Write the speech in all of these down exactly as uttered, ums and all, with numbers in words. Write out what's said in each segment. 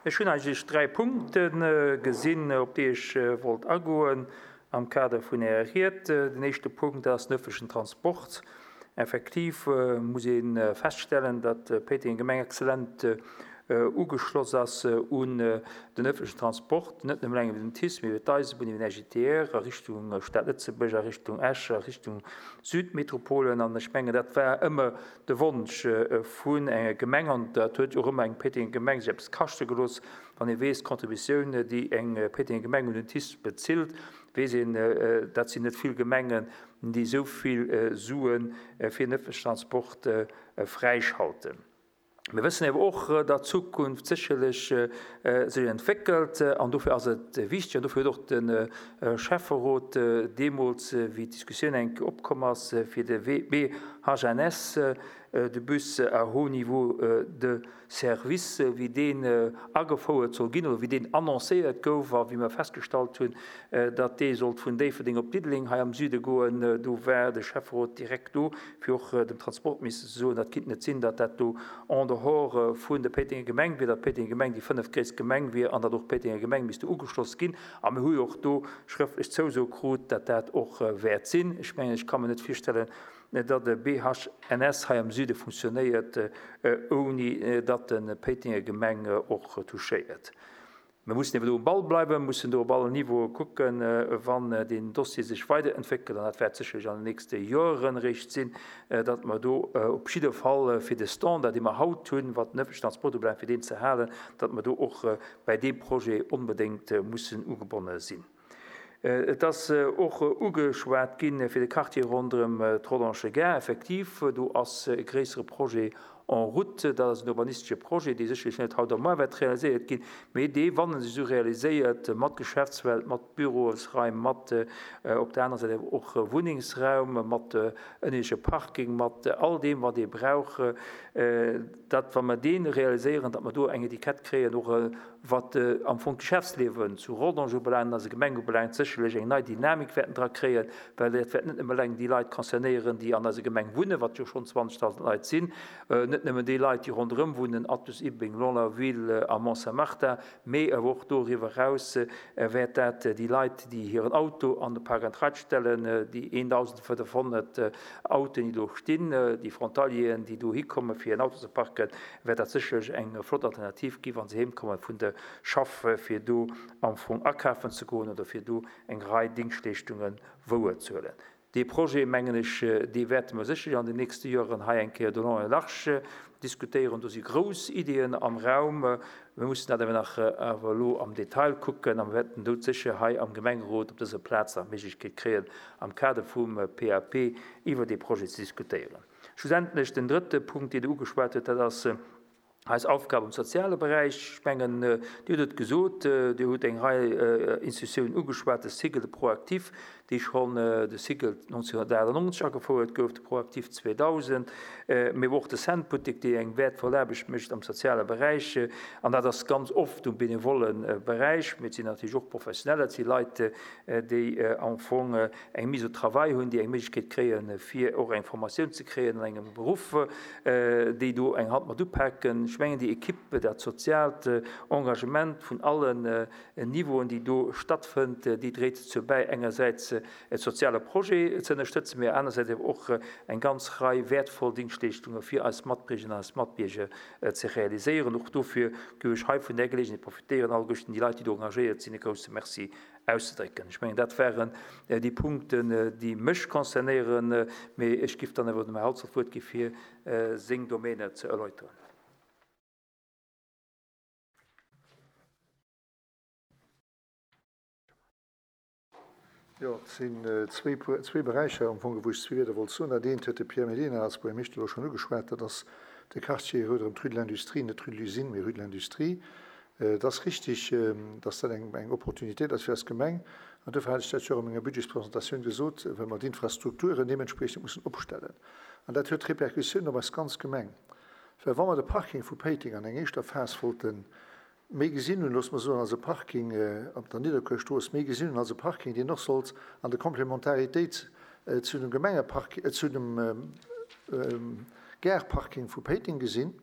Ech hunn eigentlech dräi Punkte gesinn, op déi ech wollt agoen am Kader vun Ärer Ried. Den éischte Punkt ass den öffentlichen Transport. Effektiv muss ee feststellen, datt Péiteng Gemeng exzellent ugeschloss ass un den öffentlichen Transport, net nëmmen eleng iwwer den TICE, mee iwwer d'Eisebunn, iwwer den R J T R a Richtung Stad Lëtzebuerg, a Richtung Esch, a Richtung Südmetropolen. An ech mengen, dat war ëmmer de Wonsch vun enger Gemeng, an dat huet jo och ëmmer eng Péitenger Gemeng sech eppes kaschte gelooss. Wann ee weess, d'Contributioun, déi eng Péitenger Gemeng un den TICE bezilt, weess een, dat sinn net vill Gemengen, déi esou vill Sue fir den öffentlichen Transport fräischalten. Mir wëssen awer och, datt d'Zukunft sécherlech sech entwéckelt, an dofir ass et wichteg, an dofir huet och de Schäfferot deemools, wéi d'Diskussioun eng Kéier opkomm ass fir de B H N S, de Bus à haut niveau de service, wéi deen agefouert soll ginn oder wéi deen annoncéiert gouf a wéi mer festgestallt hunn, datt dee sollt vun Déifferdeng op Diddeleng hei am Süde goen, do war de Schäfferot direkt do, fir och dem Transportminister ze soen, dat kinnt net sinn, datt dat do en dehors vun der Péitenger Gemeng wier, datt d'Péitenger Gemeng déi fënneft gréisst Gemeng wier an datt och d'Péitenger Gemeng misste ugeschloss ginn. A mir hu jo och do schrëftlech Zouso krut, datt dat och wäert sinn. Ech mengen, ech ka mir net virstellen, datt de B H N S hei am Süde funktionéiert, ouni datt de Péitenger Gemeng och touchéiert. Mir mussen eben do um Ball bleiwen, mussen do op allen Niveaue kucken, wann deen Dossier sech weiderentwéckelt, an dat wäert sécherlech an den nächste Joren eréischt sinn, datt mer do op jidde Fall fir de Standard, dee mer haut hunn, wat den öffentlichen Transport ubelaangt, fir deen ze halen, datt mer do och bäi deem Projet onbedéngt mussen ugebonne sinn. Et ass och ugeschwat ginn fir de Quartier ronderëm d'Rodange Gare. Effektiv, do ass e gréissere Projet en route. Dat ass en urbanistesche Projet, dee sécherlech net haut a muer wäert realiséiert ginn, mee dee, wann en sech esou realiséiert, mat Geschäftswelt, mat Bürosraim, mat op der anerer Säit awer och Wunnengsraum, mat ënnersche Parking, mat all deem, wat ee brauch, datt, wa mer dee realiséieren, datt mer do eng Etikett kréien, och wat am Fong d'Geschäftsliewen zu Rodange ubelaangt, an eiser Gemeng ubelaangt, sécherlech eng nei Dynamik wäerten dra kréien, well dat wäert net nëmme eleng déi Leit concernéieren, déi an eiser Gemeng wunnen, wat jo schonn zwanzegdausend Leit sinn, net nëmmen déi Leit, déi ronderëm wunnen, Athus, Ibeng, Longlaville a Mont-Saint-Martin, mee awer och doriwwer eraus wäert dat déi Leit, déi hiren Auto an de Park and Ride stellen, déi eendausendfënnefhonnert Autoen, déi do stinn, déi Frontalieren, déi do hikommen, fir en Auto ze parken, wäert dat sécherlech eng flott Alternativ ginn, wa se heemkommen vun der Schaff, fir do am Fong akafen ze goen oder fir do eng Rei Dingschtleeschtungen wouerzehuelen. Dee Projet, mengen ech, dee wäerte mer sécherlech an den nächste Joren hei eng Kéier de long en large diskutéieren. Do si grouss Iddien am Raum. Mir mussen dat awer nach awer elo am Detail kucken a mir wäerten do sécher hei am Gemengerot op dëser Plaz nach d'Méiglechkeet kréien, am Kader vum P A P iwwer dee Projet ze diskutéieren. Schlussendlech den drëtte Punkt, deen Der ugeschwat hutt, dat ass eis Aufgab am soziale Beräich. Ech mengen, Dir hutt et gesot, Dir hutt eng Rei Institutiounen ugeschwat, de SIGEL, de ProActif, dee schonn de SIGEL nonzénhunnertachtannonzeg agefouert gouf, de ProActif zweedausend, mee och de Cent-Buttek, dee eng wäertvoll Aarbecht mécht am soziale Beräich. An dat ass ganz oft um benevolle Beräich, mee et sinn natierlech och Professioneller, et si Leit, déi am Fong eng Mise au travail hunn, déi eng Méiglechkeet kréien, fir och eng Formatioun ze kréien an engem Beruff, déi do eng Hand mat upaken. Ech mengen, déi Equipe, dat soziaalt Engagement vun allen Niveauen, déi do stattfënnt, déi dréit dozou bäi, engersäits e soziale Projet ze ënnerstëtzen, mee anersäits awer och eng ganz Rei wäertvoll Dingschtleeschtunge fir eis Matbierger an eis Matbierger ze realiséieren. Och dofir géif ech hei vun där Geleegenheet profitéieren, alleguerten déi Leit, déi do engagéiert sinn, e grousse Merci auszedrécken. Ech mengen, dat waren déi Punkten, déi mech concernéieren, mee ech géif dann awer dem Här Holzer d'Wuert gi fir seng Domäne ze erläuteren. Jo, et sinn zwee, zwee Beräicher am Fong, wou ech zwee Wierder wollt soen. Dat eent huet de Pierre Mellina als Buergermeeschter elo schonn ugeschwat, dat ass de Quartier ronderëm d'Rue de l'Industrie, net d'Rue de l'Usine, mee Rue de l'Industrie. Et ass richtig, dass dat eng, eng Opportunitéit ass fir eis Gemeng. An dofir hat ech dat jo och an menger Budgetspresentatioun gesot, well mer d'Infrastrukturen deementspriechend mussen opstellen. An dat huet Repercussiounen op eis ganz Gemeng. Well wa mer de Parking vu Péiteng an eng éischter Phas wollten méi gesinn hunn, loosse mer soen, als e Parking op der Nidderkuerstrooss, méi gesinn hunn als e Parking, deen och sollt an der Komplementaritéit zu dem Gemengepark, zu dem Gare-Parking vu Péiteng gesinn,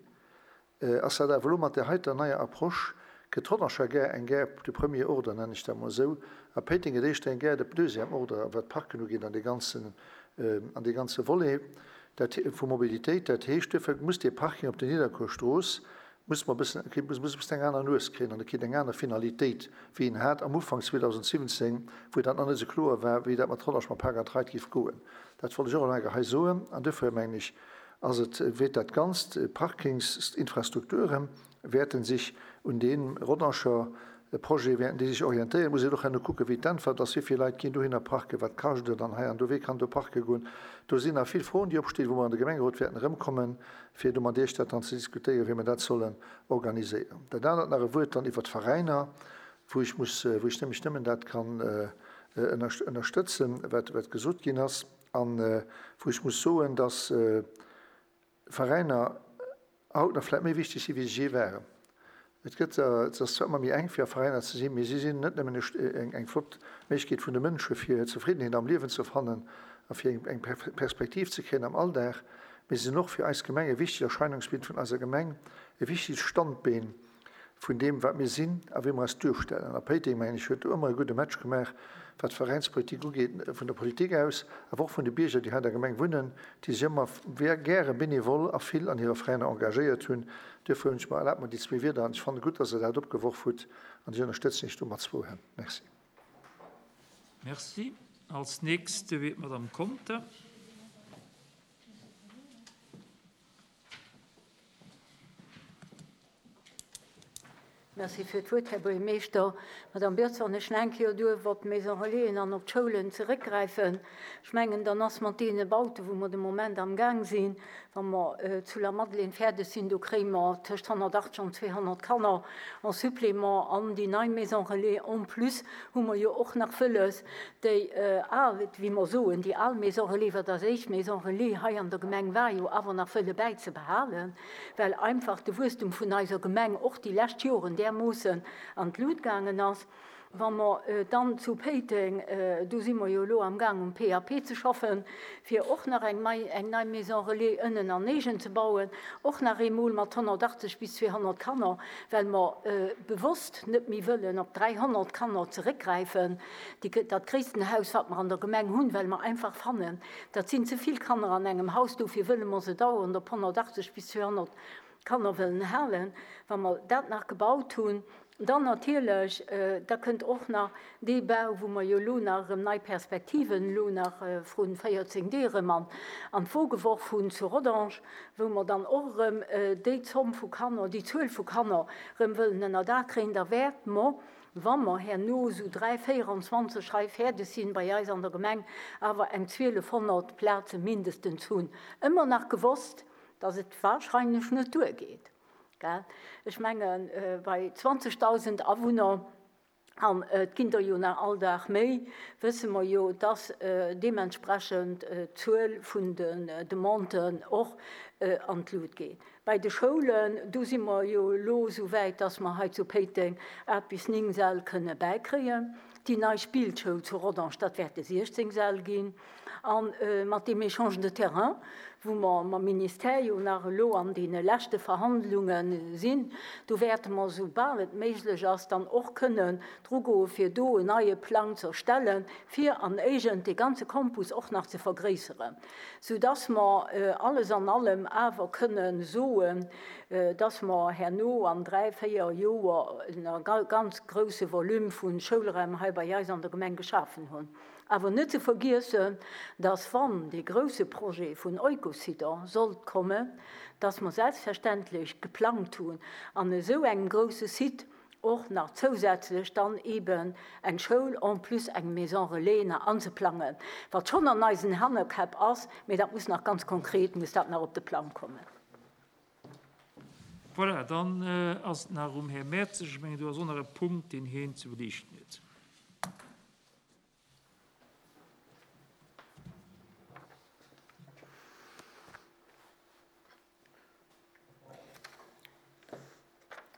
ass dat awer elo mat där heiter neier Approche, gëtt d'Rodanger Gare eng Gare de premier ordre, nennen ech dat mol esou, a Péiteng gëtt éischter eng Gare de deuxième ordre, wat d'Parken ugeet an dee ganzen, an dee ganze Volet dat, vu Mobilitéit. Dat heescht, duerfir muss dee Parking op der Nidderkuerstrooss, muss mer e bëssen, muss, muss e bëssen eng aner Nues kréien an e kritt eng aner Finalitéit, wéi en hat am Ufank zweedausendsiwwenzéng, wou dat nach net esou kloer war, wéi dat mat Rodange mam Park and Ride géif goen. Dat wollt ech och nach eng Kéier hei soen. An duerfir, mengen ech, ass et, wäert dat Ganzt, d'Parkingsinfrastrukture wäerte sech un deem Rodanger Projet wäerten déi sech orientéieren. Et muss een och herno kucken, wéi d'Äntwert ass, wéi vill Leit ginn dohinner parken, wat kascht et an hei an do, wee kann do parke goen. Do sinn nach vill Froen, déi opstinn, wou mer an de Gemengerot wäerten erëmkommen, fir do mat Iech dat dann ze diskutéieren, wéi mer dat sollen organiséieren. Dat anert nach e Wuert dann iwwert d'Veräiner, wou ech muss, wou ech nämlech nëmmen dat kann ënnerstëtzen, wat, wat gesot ginn ass, an wou ech muss soen, dass Veräiner haut nach vläicht méi wichteg sinn, wéi se jee waren. Et gëtt, et ass zwar ëmmer méi enk fir a Veräiner ze sinn, mee si sinn net nëmmen eng, eng flott Méiglechkeet vun de Mënsche fir hir Zefriddenheet am Liewen ze fannen a fir eng, eng Perspektiv ze kréien am Alldag, mee si sinn och fir eis Gemeng e wichtegt Erscheinungsbild vun eiser Gemeng, e wichtegt Standbeen vun deem, wat mir sinn a wéi mer eis duerstellen. A Péiteng, mengen ech, huet do ëmmer e gudde Match gemaach, wat d'Veräinspolitik ugeet, vun der Politik aus, awer och vun de Bierger, déi hei an der Gemeng wunnen, déi sech ëmmer gäre benevol a vill an hire Veräiner engagéiert hunn. Duerfir hunn ech mer erlaabt, mer déi zwee Wierder, an ech fanne gutt, dass Der dat opgeworf hutt, an ech ënnerstëtzen Iech do mat zwou Hänn. Merci. Merci. Als Nächste wird Madame Conter. Merci fir d'Wuert, Här Buergermeeschter. Madame Birz, wann ech nach eng Kéier duerf op d'Maison Relaisen an op d'Schoulen zeréckgräifen, ech mengen, dann ass mat deene Bauten, wou mer de Moment am Gang sinn, wa mer zu La Madeleine fäerdeg sinn, do kréie mer tëscht honnertachtzeg an zweehonnert Kanner en Supplément an déi nei Maison Relais. En plus hu mer jo och nach wëlles, déi al, wéi mer soen, déi al Maison Relais, wat als éischt Maison Relais hei an der Gemeng war, jo awer nach wëlle bäizebehalen, well einfach de Wuesstum vun eiser Gemeng och déi lescht Joren därmoossen an d'Lut gaangen ass. Wa mer dann zu Péiteng, do si mer jo elo am Gang um P A P ze schaffen, fir och nach eng mei, eng nei Maison Relais ënnen an Négen ze bauen, och nach eemol mat honnertachtzeg bis zweehonnert Kanner, well mer bewosst net méi wëllen op dräihonnert Kanner zeréckgräifen, déi, dat gréissten Haus, wat mer an der Gemeng hunn, well mer einfach fannen, dat sinn ze vill Kanner an engem Haus, dofir wëlle mer se dauernd op honnertachtzeg bis zweehonnert Kanner wëllen halen. Wa mer dat nach gebaut hunn, dann natierlech, da kënnt och nach dee Bau, wou mer jo elo nach erëm nei Perspektiven elo nach vrun véierzéng Deeg erëm an, an d'Wo geworf hunn zu Rodange, wou mer dann och erëm déi Zomm vu Kanner, déi Zuel vu Kanner erëm wëllen ënner Daach kréien. Da wäert mer, wa mer herno sou dräi véieranzwanzeg hei fäerdeg sinn bei eis an der Gemeng, awer eng zwielefhonnert Plaze mindestens hunn. Ëmmer nach gewosst, dass et wahrscheinlich net duergeet. Gell? Ech mengen, bei zwanzigtausend Awunner, an et ginn der jo nach all Dag méi, wësse mer jo, dass deementsprechend d'Zuel vun den Demanden och an d'Lut geet. Bei de Schoulen, do si mer jo elo so wäit, dass mer hei zu Péiteng acht bis néng Säll kënne bäikréien. Déi nei Spillschoul zu Rodange, dat wäerte siechzéng Säll ginn. An mat dem Échange de Terrain, wou mer mam Ministère jo nach elo an deene leschte Verhandlungen sinn, do wäerte mer, soubal et méiglech ass, dann och kënnen dru goen, fir do en neie Plang ze erstellen, fir an Éigent de ganze Campus och nach ze vergréisseren, sodass mer alles an allem awer kënnen soen, dass mer herno an dräi, véier Joer en ganz grouse Volume vun Schoulräim hei bei eis an der Gemeng geschafen hunn. Awer net ze vergiessen, dass wann de grouse Projet vun Eucosider sollt kommen, dass mer selbstverständlich geplant hunn, an esou engem grouse Site och nach zousätzlech dann eben eng Schoul en plus eng Maison Relais nach anzeplangen. Wat schon an eisen Hannerkäpp ass, mee dat muss nach ganz konkret, muss dat nach op de Plan kommen. Voilà, dann äh, ass nach um Herr Merz, ich meine, du hast auch noch einen Punkt, den hien zu belichten huet.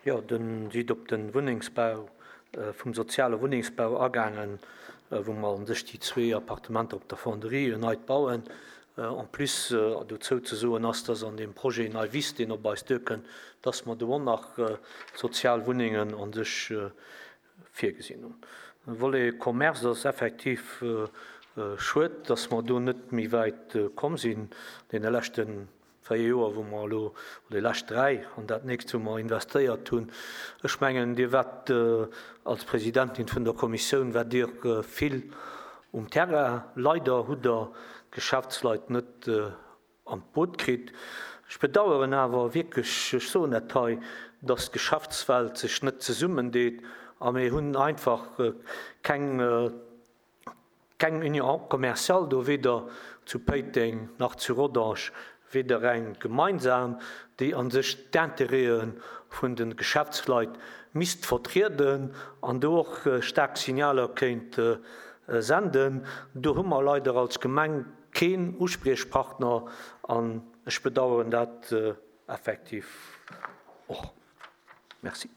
Ja, den sieht op den Wohnungsbau, äh, vum soziale Wohnungsbau agangen, äh, wo man sich die zwei Appartementer op der Fonderie neu bauen. En plus dozou ze soen ass, dass an deem Projet Nei Wiss, deen op eis duerkënnt, dass mer do och nach sozial Wunnengen a sech virgesinn hunn. De Volet Commerce ass effektiv schued, dass mer do net méi wäit komm sinn deene leschte véier Joer, wou mer elo, oder déi lescht dräi an dat nächst, wou mer investéiert hunn. Ech mengen, Dir waart als Presidentin vun der Kommissioun, waart Dir vill um Terrain. Leider hutt Der d'Geschäftsleit net an d'Boot kritt. Ech bedauern awer wierklech, ech soen dat hei, dass d'Geschäftswelt sech net zesummendeet a mir hunn einfach keng, keng Union commerciale do, weder zu Péiteng nach zu Rodange, weder eng gemeinsam, déi a sech d'Intérêtë vun de Geschäftsleit misst vertrieden an do och staark Signaler kéint senden. Do hu mer leider als Gemeng keen Uspriechpartner an ech bedauern dat effektiv och. Merci.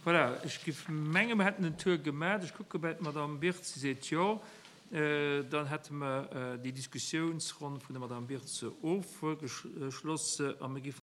Voilà, ech géif mengen, mer hätten den Tour gemaach. Ech kucke bei d'Madame Birtz, si seet jo. Dann hätte mer déi Diskussiounsronn vun der Madame Birtz ofgeschloss a mir géifen.